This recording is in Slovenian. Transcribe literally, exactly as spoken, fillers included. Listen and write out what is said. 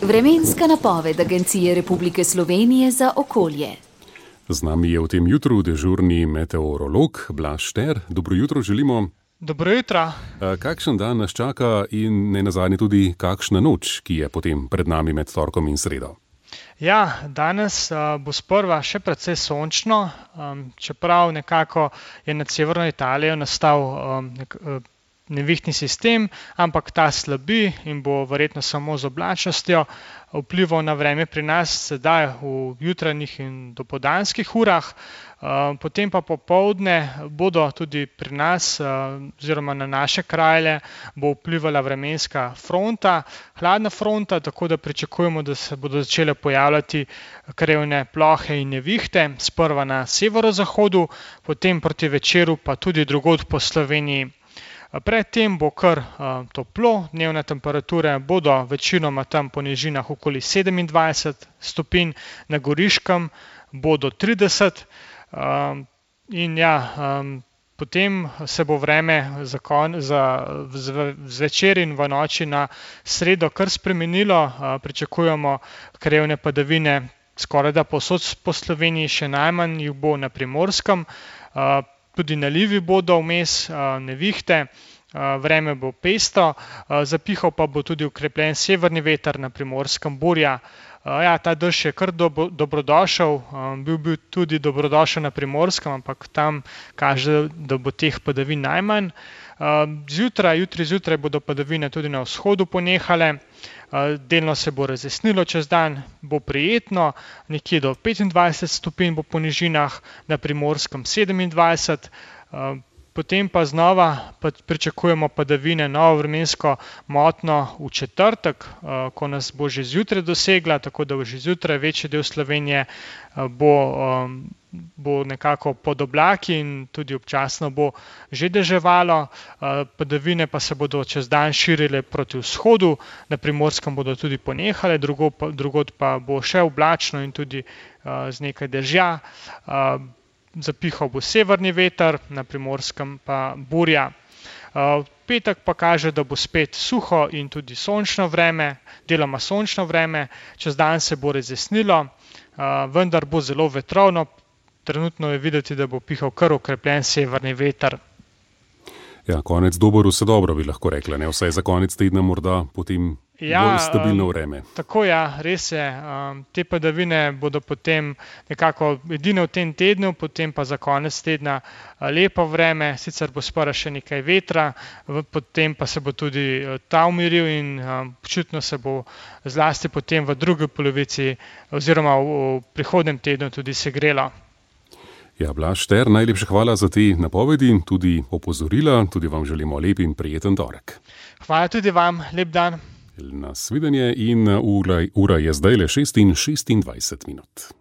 Vremenska napoved Agencije Republike Slovenije za okolje. Z nami je v tem jutru dežurni meteorolog Blaž Šter. Dobro jutro želimo. Dobro jutro. Kakšen dan nas čaka in ne nazadnje tudi kakšna noč, ki je potem pred nami med torkom in sredo? Ja, danes uh, bo sprva še precej sončno, um, čeprav nekako je nad severno Italijo nastal um, nek, uh, nevihtni sistem, ampak ta slabi in bo verjetno samo z oblačnostjo vplival na vreme pri nas sedaj v jutranjih in dopoldanskih urah. Potem pa popoldne bodo tudi pri nas oziroma na naše kraje bo vplivala vremenska fronta, hladna fronta, tako da pričakujemo, da se bodo začele pojavljati krajevne plohe in nevihte, sprva na severozahodu, potem proti večeru pa tudi drugod po Sloveniji. Predtem bo kar uh, toplo, dnevne temperature bodo večinoma tam po nižinah okoli sedemindvajset stopinj, na Goriškem bodo trideset um, in ja, um, potem se bo vreme za, kon, za zvečer in v noči na sredo kar spremenilo, uh, pričakujemo krajevne padavine skoraj da povsod po Sloveniji, še najmanj jih bo na Primorskem, uh, tudi nalivi bodo vmes, nevihte, vreme bo pestro, zapihal pa bo tudi ukrepljen severni veter, na Primorskem burja. Ja, ta dež je kar dobro, dobrodošel, bil bi tudi dobrodošel na Primorskem, ampak tam kaže, da bo teh padavin najmanj. Zjutraj, jutri zjutraj bodo padavine tudi na vzhodu ponehale, delno se bo razjasnilo čez dan, bo prijetno, nekje do petindvajset stopinj bo po nižinah, na Primorskem sedemindvajset, potem pa znova pričakujemo padavine, novo vremensko motnjo v četrtek, ko nas bo že zjutraj dosegla, tako da bo že zjutraj večji del Slovenije bo, bo nekako pod oblaki in tudi občasno bo že deževalo, padavine pa se bodo čez dan širile proti vzhodu, na Primorskem bodo tudi ponehale, drugod pa bo še oblačno in tudi z nekaj dežja. Zapihal bo severni veter, na Primorskem pa burja. V petek pa kaže, da bo spet suho in tudi sončno vreme, deloma sončno vreme, čez dan se bo razjasnilo, vendar bo zelo vetrovno, trenutno je videti, da bo pihal kar okrepljen severni veter. Ja, konec dober, vse dobro bi lahko rekla, ne? Vsaj za konec tedna morda potem ja, bolj stabilno vreme. Tako ja, res je. Um, te padavine bodo potem nekako edine v tem tednu, potem pa za konec tedna lepo vreme, sicer bo sprva še nekaj vetra, potem pa se bo tudi ta umiril in um, počutno se bo zlasti potem v drugi polovici oziroma v, v prihodnjem tednu tudi segrelo. Ja, Blaž Šter, najlepša hvala za te napovedi, tudi opozorila, tudi vam želimo lep in prijeten torek. Hvala tudi vam, lep dan. Nasvidenje in ura, ura je zdaj le šest in šestindvajset minut.